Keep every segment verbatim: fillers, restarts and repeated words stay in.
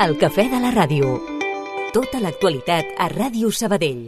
El cafè de la ràdio. Tota l'actualitat a Ràdio Sabadell.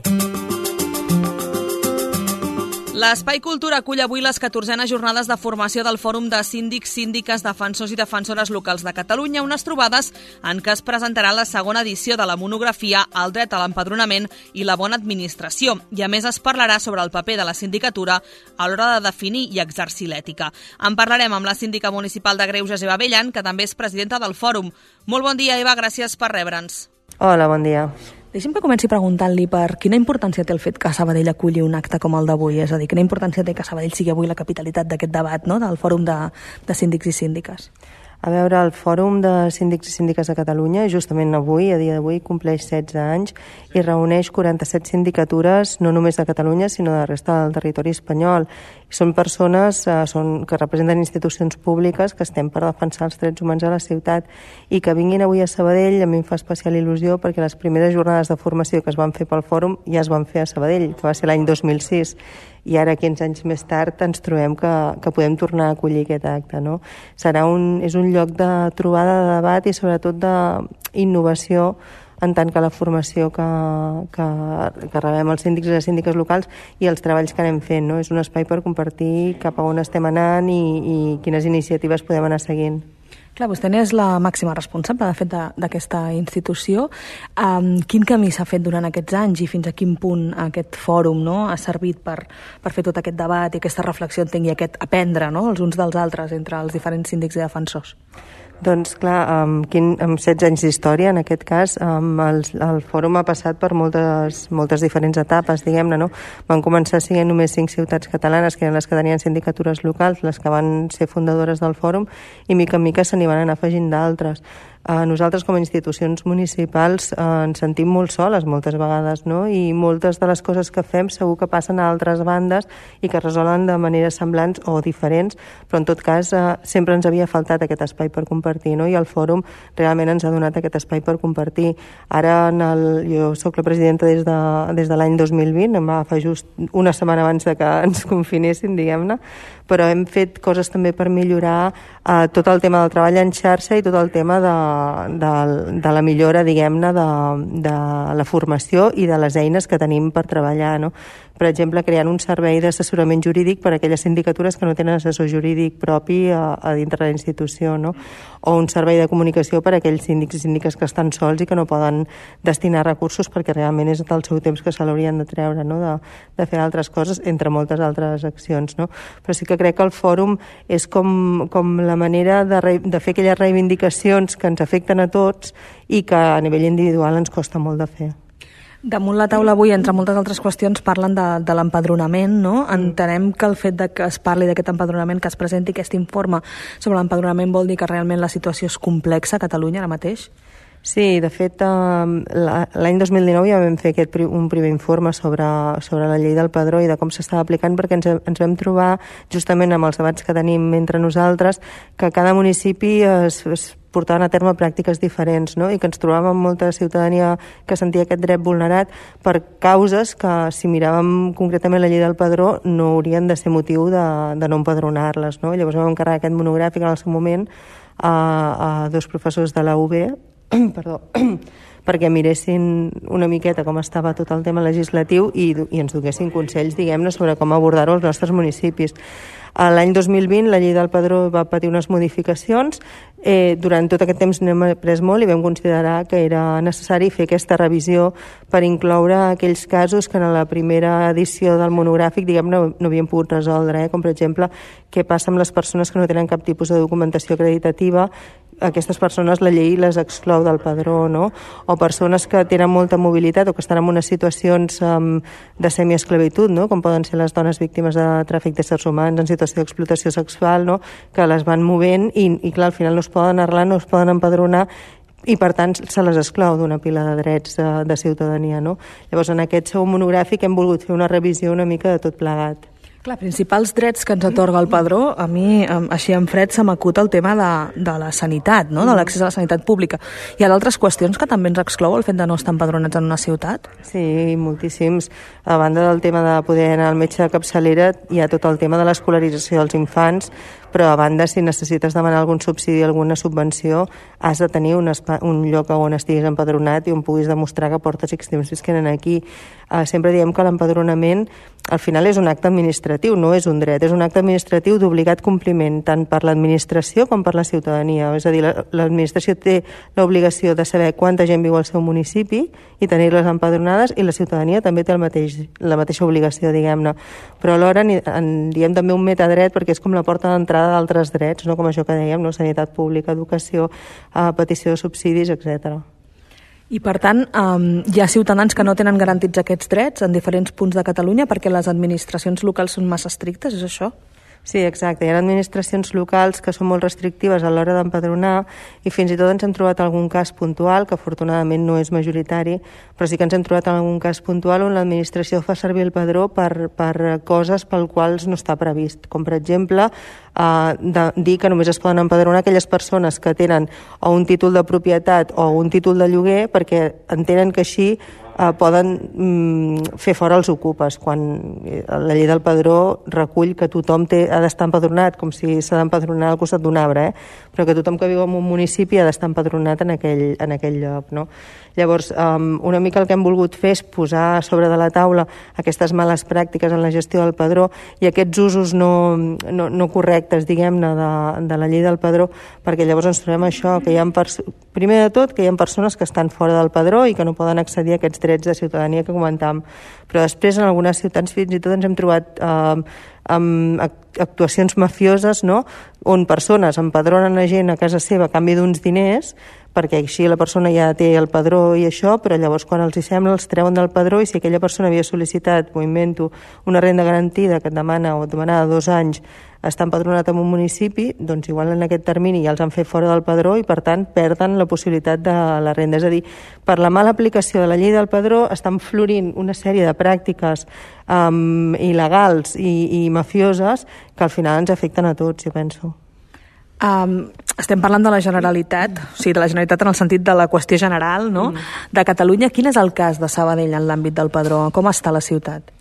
L'Espai Cultura acull avui les catorzenes jornades de formació del Fòrum de Síndics, Síndiques, Defensors i Defensores Locals de Catalunya, unes trobades en què es presentarà la segona edició de la monografia El dret a l'empadronament i la bona administració, i a més es parlarà sobre el paper de la sindicatura a l'hora de definir i exercir l'ètica. En parlarem amb la síndica municipal de Greuges, Eva Bellan, que també és presidenta del Fòrum. Molt bon dia, Eva, gràcies per rebre'ns. Hola, bon dia. Deixi'm que comenci preguntant-li per quina importància té el fet que Sabadell aculli un acte com el d'avui, és a dir, quina importància té que Sabadell sigui avui la capitalitat d'aquest debat, no?, del Fòrum de, de Síndics i Síndiques. A veure, el Fòrum de Síndics i Síndiques de Catalunya, justament avui, a dia d'avui, compleix setze anys i reuneix quaranta-set sindicatures, no només de Catalunya, sinó de la resta del territori espanyol. I són persones eh, són, que representen institucions públiques que estem per defensar els drets humans a la ciutat, i que vinguin avui a Sabadell a mi em fa especial il·lusió perquè les primeres jornades de formació que es van fer pel Fòrum ja es van fer a Sabadell, que va ser l'any dos mil sis. I ara, quinze anys més tard, ens trobem que, que podem tornar a acollir aquest acte, no? Serà un, és un lloc de trobada, de debat i sobretot d'innovació en tant que la formació que, que, que rebem els síndics i les síndiques locals i els treballs que anem fent, no? És un espai per compartir cap a on estem anant i, i quines iniciatives podem anar seguint. Clar, vostè n'és la màxima responsable, de fet, d'aquesta institució. Um, quin camí s'ha fet durant aquests anys i fins a quin punt aquest fòrum, no?, ha servit per, per fer tot aquest debat i aquesta reflexió, entenc, i aquest aprendre, no?, els uns dels altres entre els diferents síndics i defensors? Doncs clar, amb, quin, amb setze anys d'història, en aquest cas, um, el, el fòrum ha passat per moltes, moltes diferents etapes, diguem-ne, no? Van començar sent només cinc ciutats catalanes, que eren les que tenien sindicatures locals, les que van ser fundadores del fòrum, i mica en mica se n'hi van anar afegint d'altres. Uh, nosaltres com a institucions municipals uh, ens sentim molt soles moltes vegades, no? I moltes de les coses que fem segur que passen a altres bandes i que es resolen de maneres semblants o diferents, però en tot cas uh, sempre ens havia faltat aquest espai per compartir, no? I el fòrum realment ens ha donat aquest espai per compartir. Ara en el, jo sóc la presidenta des de, des de l'any dos mil vint, em va agafar just una setmana abans de que ens confinessin, diguem-ne, però hem fet coses també per millorar uh, tot el tema del treball en xarxa i tot el tema de De, de la millora, diguem-ne, de, de la formació i de les eines que tenim per treballar, no? Per exemple, creant un servei d'assessorament jurídic per a aquelles sindicatures que no tenen assessor jurídic propi a, a dintre de la institució, no? O un servei de comunicació per a aquells síndics i síndiques que estan sols i que no poden destinar recursos perquè realment és del seu temps que se l'haurien de treure, no?, de, de fer altres coses, entre moltes altres accions, no? Però sí que crec que el fòrum és com, com la manera de, re, de fer aquelles reivindicacions que ens afecten a tots i que a nivell individual ens costa molt de fer. Damunt la taula avui, entre moltes altres qüestions, parlen de, de l'empadronament, no? Entenem que el fet de que es parli d'aquest empadronament, que es presenti aquest informe sobre l'empadronament, vol dir que realment la situació és complexa a Catalunya ara mateix? Sí, de fet, l'any dos mil dinou ja vam fer aquest, un primer informe sobre, sobre la llei del padró i de com s'estava aplicant, perquè ens, ens vam trobar, justament amb els debats que tenim entre nosaltres, que cada municipi es, es portaven a terme pràctiques diferents, no? I que ens trobàvem amb molta ciutadania que sentia aquest dret vulnerat per causes que, si miràvem concretament la llei del padró, no haurien de ser motiu de, de no empadronar-les, no? Llavors vam encarregar aquest monogràfic en el seu moment a, a dos professors de la U B, perdó, perquè miressin una miqueta com estava tot el tema legislatiu i, i ens donessin consells, diguem-ne, sobre com abordar-ho als nostres municipis. L'any dos mil vint la llei del padró va patir unes modificacions. Eh, durant tot aquest temps n'hem après molt i vam considerar que era necessari fer aquesta revisió per incloure aquells casos que en la primera edició del monogràfic, diguem-ne, no havíem pogut resoldre, eh? Com per exemple què passa amb les persones que no tenen cap tipus de documentació acreditativa. Aquestes persones la llei les exclou del padró, no? O persones que tenen molta mobilitat o que estan en unes situacions um, de semiesclavitud, no? Com poden ser les dones víctimes de tràfic d'éssers humans en situació d'explotació sexual, no? Que les van movent i, i clar, al final no es poden arrelar, no es poden empadronar i per tant se les exclou d'una pila de drets de, de ciutadania, no? Llavors en aquest segon monogràfic hem volgut fer una revisió una mica de tot plegat. Clar, principals drets que ens atorga el padró, a mi, així en fred, se m'acut el tema de, de la sanitat, no? De l'accés a la sanitat pública. Hi ha d'altres qüestions que també ens exclou el fet de no estar empadronats en una ciutat? Sí, moltíssims. A banda del tema de poder anar al metge de capçalera, hi ha tot el tema de l'escolarització dels infants, però a banda, si necessites demanar algun subsidi, alguna subvenció, has de tenir un, un lloc on estiguis empadronat i on puguis demostrar que portes X temps visquent aquí. Uh, sempre diem que l'empadronament al final és un acte administratiu, no és un dret, és un acte administratiu d'obligat compliment tant per l'administració com per la ciutadania. És a dir, l'administració té l'obligació de saber quanta gent viu al seu municipi i tenir-les empadronades, i la ciutadania també té el mateix, la mateixa obligació, diguem-ne. Però alhora en diem també un metadret perquè és com la porta d'entrada d'altres drets, no? Com això que dèiem, no? Sanitat pública, educació, uh, petició de subsidis, etcètera. I, per tant, um, hi ha ciutadans que no tenen garantits aquests drets en diferents punts de Catalunya perquè les administracions locals són massa estrictes, és això? Sí, exacte. Hi ha administracions locals que són molt restrictives a l'hora d'empadronar i fins i tot ens hem trobat algun cas puntual, que afortunadament no és majoritari, però sí que ens hem trobat algun cas puntual on l'administració fa servir el padró per, per coses pel quals no està previst. Com, per exemple, eh, de dir que només es poden empadronar aquelles persones que tenen o un títol de propietat o un títol de lloguer, perquè entenen que així Uh, poden mm, fer fora els ocupes, quan la llei del padró recull que tothom té, ha d'estar empadronat, com si s'ha d'empadronar al costat d'un arbre, eh? Però que tothom que viu en un municipi ha d'estar empadronat en aquell, en aquell lloc, no? Llavors, um, una mica el que hem volgut fer és posar a sobre de la taula aquestes males pràctiques en la gestió del padró i aquests usos no, no, no correctes, diguem-ne, de, de la llei del padró, perquè llavors ens trobem això, que hi ha primer de tot que hi ha persones que estan fora del padró i que no poden accedir a aquests drets de ciutadania que comentàvem. Però després en algunes ciutats fins i tot ens hem trobat eh, amb actuacions mafioses, no? On persones empadronen a gent a casa seva a canvi d'uns diners, perquè així la persona ja té el padró i això, però llavors quan els hi sembla els treuen del padró, i si aquella persona havia sol·licitat, m'ho invento, una renda garantida que et demana o et demanava dos anys està empadronat en un municipi, doncs igual en aquest termini ja els han fet fora del padró i per tant perden la possibilitat de la renda. És a dir, per la mala aplicació de la llei del padró estan florint una sèrie de pràctiques um, il·legals i, i mafioses que al final ens afecten a tots, jo penso. Um, estem parlant de la Generalitat, o sigui, de la Generalitat en el sentit de la qüestió general, no? Mm. De Catalunya. Quin és el cas de Sabadell en l'àmbit del padró? Com està la ciutat?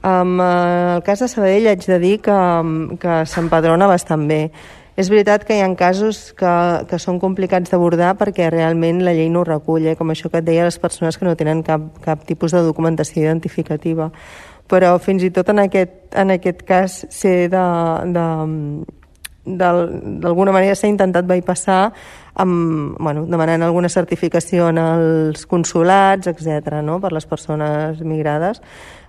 En el cas de Sabadell haig de dir que, que s'empadrona bastant bé. És veritat que hi ha casos que, que són complicats d'abordar perquè realment la llei no ho recull, eh? Com això que et deia, les persones que no tenen cap, cap tipus de documentació identificativa. Però fins i tot en aquest, en aquest cas ser de... de d'alguna manera s'ha intentat bypassar amb, bueno, demanant alguna certificació en els consulats, etcètera, no? Per les persones migrades.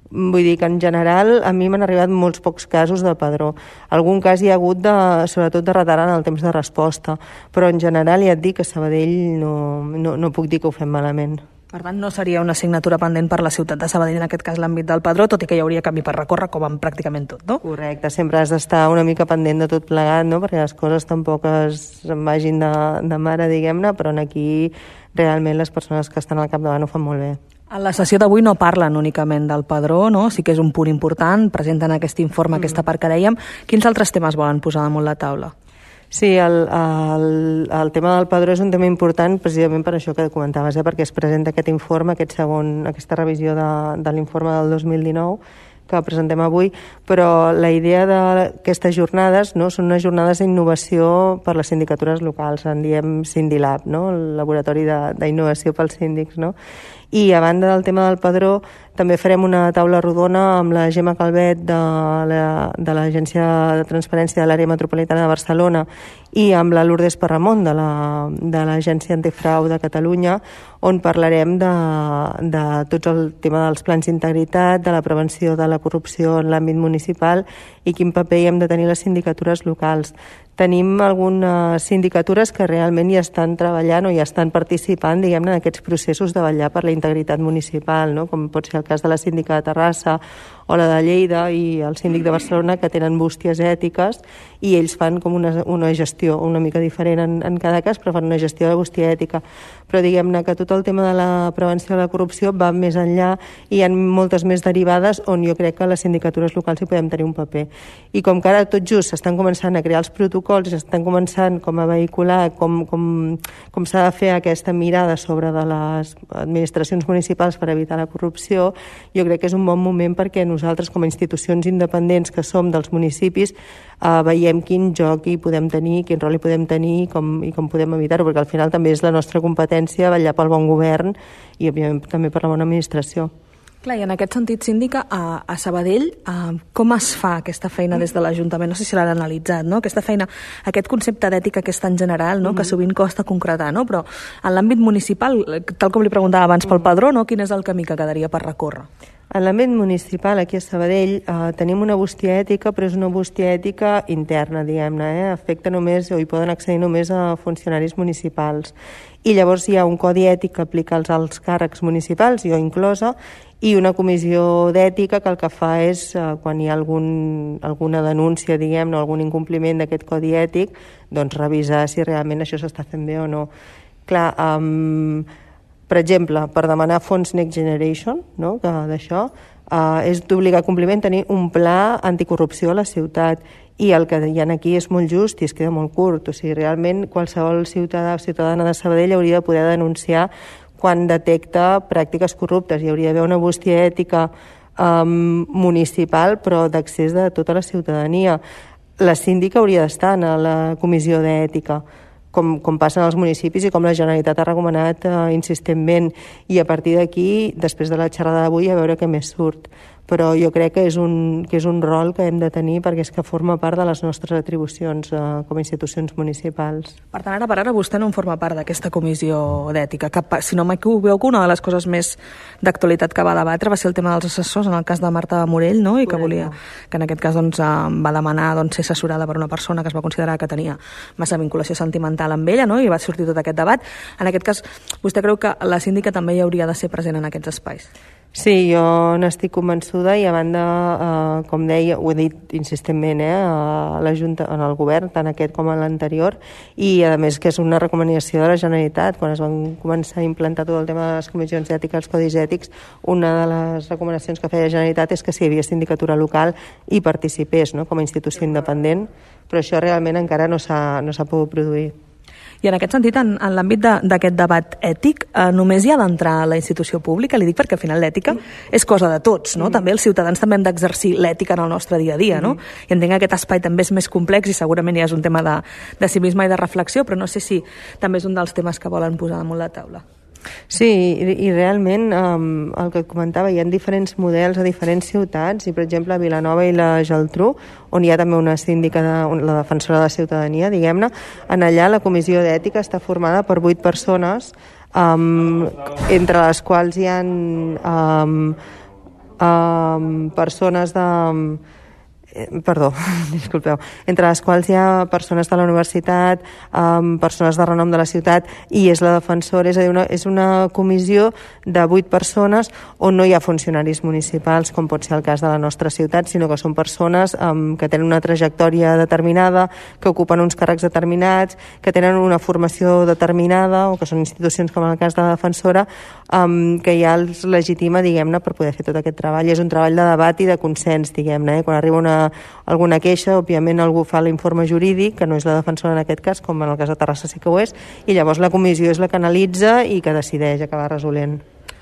Vull dir que en general a mi m'han arribat molts pocs casos de padró. Algun cas hi ha hagut de, sobretot de retard en el temps de resposta, però en general ja et dic que a Sabadell no, no, no puc dir que ho fem malament. Per tant, no seria una assignatura pendent per la ciutat de Sabadell, en aquest cas l'àmbit del padró, tot i que hi hauria camí per recórrer, com en pràcticament tot, no? Correcte, sempre has d'estar una mica pendent de tot plegat, no? Perquè les coses tampoc es vagin de, de mare, diguem-ne, però aquí realment les persones que estan al capdavant ho fan molt bé. A la sessió d'avui no parlen únicament del padró, no? Sí que és un punt important, presenten aquest informe, mm. aquesta part que dèiem. Quins altres temes volen posar damunt la taula? Sí, el, el, el tema del padró és un tema important precisament per això que comentaves, eh? Perquè es presenta aquest informe, aquest segon, aquesta revisió de, de l'informe del dos mil dinou que presentem avui, però la idea d'aquestes jornades, no, són unes jornades d'innovació per les sindicatures locals, en diem Sindilab, no? El laboratori d'innovació pels síndics, no? I a banda del tema del padró també farem una taula rodona amb la Gemma Calvet de l'Agència de Transparència de l'Àrea Metropolitana de Barcelona i amb la Lourdes Parramon de l'Agència Antifrau de Catalunya, on parlarem de, de tot el tema dels plans d'integritat, de la prevenció de la corrupció en l'àmbit municipal i quin paper hi hem de tenir les sindicatures locals. Tenim algunes sindicatures que realment ja estan treballant o ja estan participant, diguem-ne, en aquests processos de vetllar per la integritat municipal, no? Com pot ser el cas de la síndica de Terrassa o la de Lleida i el síndic de Barcelona, que tenen bústies ètiques i ells fan com una, una gestió una mica diferent en, en cada cas, però fan una gestió de bústia ètica. però diguem-ne que tot el tema de la prevenció de la corrupció va més enllà i hi ha moltes més derivades on jo crec que les sindicatures locals hi podem tenir un paper. I com que ara tot just s'estan començant a crear els protocols i s'estan començant com a vehicular com, com, com s'ha de fer aquesta mirada sobre de les administracions municipals per evitar la corrupció, jo crec que és un bon moment perquè nosaltres com a institucions independents que som dels municipis eh, veiem quin joc hi podem tenir, quin rol hi podem tenir i com, i com podem evitar-ho, perquè al final també és la nostra competència vetllar pel bon govern i òbviament també per la bona administració. Clar, i en aquest sentit, síndica, a, a Sabadell, a, com es fa aquesta feina des de l'Ajuntament? No sé si l'han analitzat, no? Aquesta feina, aquest concepte d'ètica que és tan general, no? Que sovint costa concretar, no? Però en l'àmbit municipal, tal com li preguntava abans pel padró, no? Quin és el camí que quedaria per recórrer? En l'àmbit municipal, aquí a Sabadell, eh, tenim una bústia ètica, però és una bústia ètica interna, diguem-ne, eh? Afecta només, o hi poden accedir només a funcionaris municipals. I llavors hi ha un codi ètic que aplica als alts càrrecs municipals, jo inclosa, i una comissió d'ètica que el que fa és, eh, quan hi ha algun, alguna denúncia, diguem-ne, algun incompliment d'aquest codi ètic, doncs revisar si realment això s'està fent bé o no. Clar, um, per exemple, per demanar fons Next Generation, no?, d'això, eh, és d'obligar compliment tenir un pla anticorrupció a la ciutat, i el que hi ha aquí és molt just i es queda molt curt. O sigui, realment qualsevol ciutadà o ciutadana de Sabadell hauria de poder denunciar quan detecta pràctiques corruptes. Hi hauria d'haver una bústia ètica um, municipal, però d'accés de tota la ciutadania. La síndica hauria d'estar a la comissió d'ètica, com, com passa als municipis i com la Generalitat ha recomanat uh, insistentment. I a partir d'aquí, després de la xerrada d'avui, a veure què més surt. Però jo crec que és un, que és un rol que hem de tenir perquè és que forma part de les nostres atribucions eh, com a institucions municipals. Per tant, ara per ara vostè no en forma part d'aquesta comissió d'ètica. Que, si no m'equivoco, una de les coses més d'actualitat que va debatre va ser el tema dels assessors, en el cas de Marta Morell, no? I que volia, que en aquest cas doncs, va demanar doncs, ser assessorada per una persona que es va considerar que tenia massa vinculació sentimental amb ella, no? I va sortir tot aquest debat. En aquest cas, vostè creu que la síndica també hi hauria de ser present en aquests espais? Sí, jo n'estic convençuda i a banda, eh, com deia, ho he dit insistentment, eh, a la Junta, en el govern, tant aquest com l'anterior, i a més que és una recomanació de la Generalitat. Quan es van començar a implantar tot el tema de les comissions ètiques, els codis ètics, una de les recomanacions que feia la Generalitat és que si hi havia sindicatura local hi participés, no?, com a institució independent, però això realment encara no s'ha no s'ha pogut produir. I en aquest sentit, en, en l'àmbit d'aquest debat ètic, eh, només hi ha d'entrar a la institució pública? Li dic perquè al final l'ètica és cosa de tots, no? Mm. També els ciutadans també hem d'exercir l'ètica en el nostre dia a dia, no? Mm. I entenc que aquest espai també és més complex i segurament ja és un tema de, de civisme i de reflexió, però no sé si també és un dels temes que volen posar damunt la taula. Sí, i, i realment um, el que et comentava, hi ha diferents models a diferents ciutats, i per exemple a Vilanova i la Geltrú, on hi ha també una síndica, de, la defensora de la ciutadania, diguem-ne, en allà la comissió d'ètica està formada per vuit persones, um, entre les quals hi ha um, um, persones de... Perdó, disculpeu, entre les quals hi ha persones de la universitat, um, persones de renom de la ciutat, i és la defensora, és a dir, una, és una comissió de vuit persones on no hi ha funcionaris municipals, com pot ser el cas de la nostra ciutat, sinó que són persones um, que tenen una trajectòria determinada, que ocupen uns càrrecs determinats, que tenen una formació determinada, o que són institucions com el cas de la defensora, um, que ja els legitima, diguem-ne, per poder fer tot aquest treball. És un treball de debat i de consens, diguem-ne, eh? Quan arriba una alguna queixa, òbviament algú fa l'informe jurídic, que no és la defensora en aquest cas, com en el cas de Terrassa sí que ho és, i llavors la comissió és la que analitza i que decideix acabar resolent.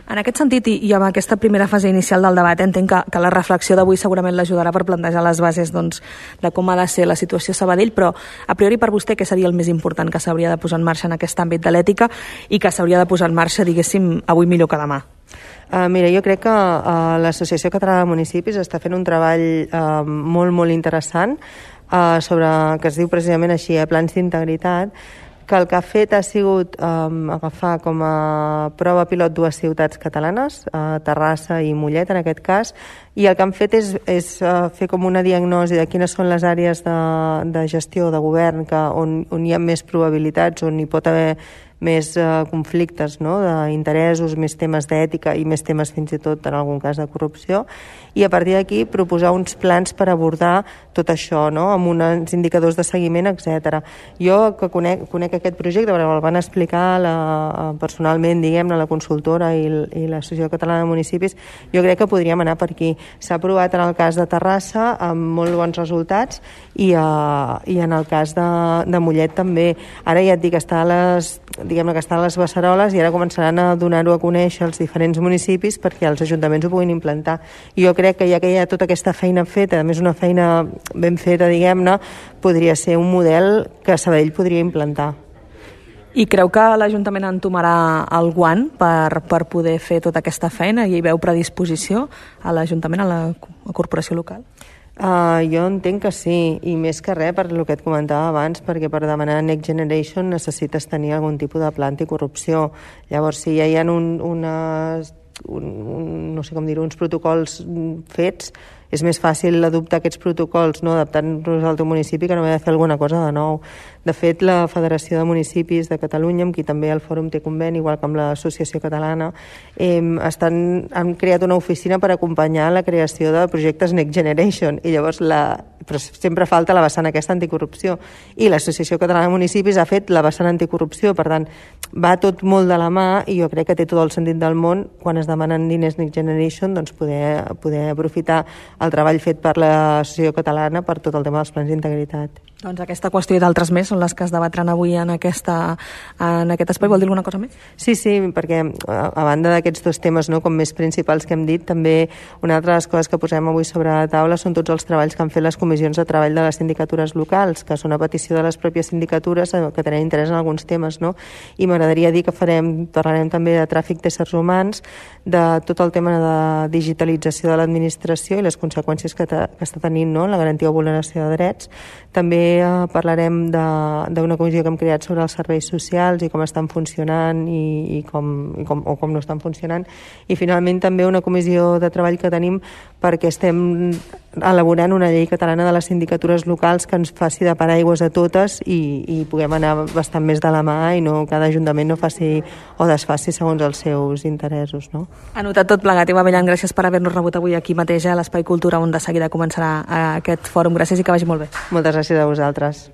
En aquest sentit, i, i amb aquesta primera fase inicial del debat, entenc que, que la reflexió d'avui segurament l'ajudarà per plantejar les bases doncs, de com ha de ser la situació a Sabadell, però a priori per vostè què seria el més important que s'hauria de posar en marxa en aquest àmbit de l'ètica i que s'hauria de posar en marxa, diguéssim, avui millor que demà? Uh, mira, jo crec que uh, l'Associació Catalana de Municipis està fent un treball uh, molt, molt interessant uh, sobre, que es diu precisament així, a plans d'integritat, que el que ha fet ha sigut um, agafar com a prova pilot dues ciutats catalanes, uh, Terrassa i Mollet en aquest cas, i el que han fet és, és uh, fer com una diagnosi de quines són les àrees de, de gestió de govern que, on, on hi ha més probabilitats, on hi pot haver més eh, conflictes, no?, d'interessos, més temes d'ètica i més temes fins i tot en algun cas de corrupció, i a partir d'aquí proposar uns plans per abordar tot això, no?, amb uns indicadors de seguiment, etcètera. Jo que conec, conec aquest projecte, perquè el van explicar la, personalment, diguem-ne, la consultora i, i l'Associació Catalana de Municipis, jo crec que podríem anar per aquí. S'ha aprovat en el cas de Terrassa amb molt bons resultats i, uh, i en el cas de, de Mollet també. Ara ja et dic, està a les, diguem-ne que està a les beceroles i ara començaran a donar-ho a conèixer als diferents municipis perquè els ajuntaments ho puguin implantar. I jo crec que ja que hi ha tota aquesta feina feta, a més una feina ben feta, diguem-ne, podria ser un model que Sabadell podria implantar. I creu que l'Ajuntament entomarà el guant per, per poder fer tota aquesta feina i hi veu predisposició a l'Ajuntament, a la a corporació local? Uh, jo entenc que sí, i més que res per el que et comentava abans, perquè per demanar Next Generation necessites tenir algun tipus de pla anticorrupció. Llavors, si ja hi ha un, unes, un, un, no sé com dir-ho, uns protocols fets, és més fàcil adoptar aquests protocols, no, adaptant-los al teu municipi, que no haver de fer alguna cosa de nou. De fet, la Federació de Municipis de Catalunya, amb qui també el Fòrum té conveni, igual que amb l'Associació Catalana, eh, estan, han creat una oficina per acompanyar la creació de projectes Next Generation, i llavors la, però sempre falta la vessant aquesta anticorrupció, i l'Associació Catalana de Municipis ha fet la vessant anticorrupció, per tant, va tot molt de la mà, i jo crec que té tot el sentit del món, quan es demanen diners Next Generation, doncs poder, poder aprofitar el treball fet per l'Associació Catalana per tot el tema dels plans d'integritat. Doncs aquesta qüestió i d'altres més són les que es debatran avui en, aquesta, en aquest espai. Vol dir alguna cosa més? Sí, sí, perquè a, a banda d'aquests dos temes, no, com més principals que hem dit, també una altra de les coses que posem avui sobre la taula són tots els treballs que han fet les comissions de treball de les sindicatures locals, que són a petició de les pròpies sindicatures que tenen interès en alguns temes, no? I m'agradaria dir que farem, parlarem també de tràfic d'éssers humans, de tot el tema de digitalització de l'administració i les conseqüències que, te, que està tenint, no?, la garantia o vulneració de drets. També eh, parlarem d'una comissió que hem creat sobre els serveis socials i com estan funcionant i, i, com, i com, o com no estan funcionant. I finalment també una comissió de treball que tenim perquè estem elaborant una llei catalana de les sindicatures locals que ens faci de paraigües a totes i, i puguem anar bastant més de la mà i no cada ajuntament no faci o desfaci segons els seus interessos, no? Anotat tot plegat. Eva Bellan, gràcies per haver-nos rebut avui aquí mateix a l'Espai Cultura, on de seguida començarà aquest fòrum. Gràcies i que vagi molt bé. Moltes gràcies a vosaltres.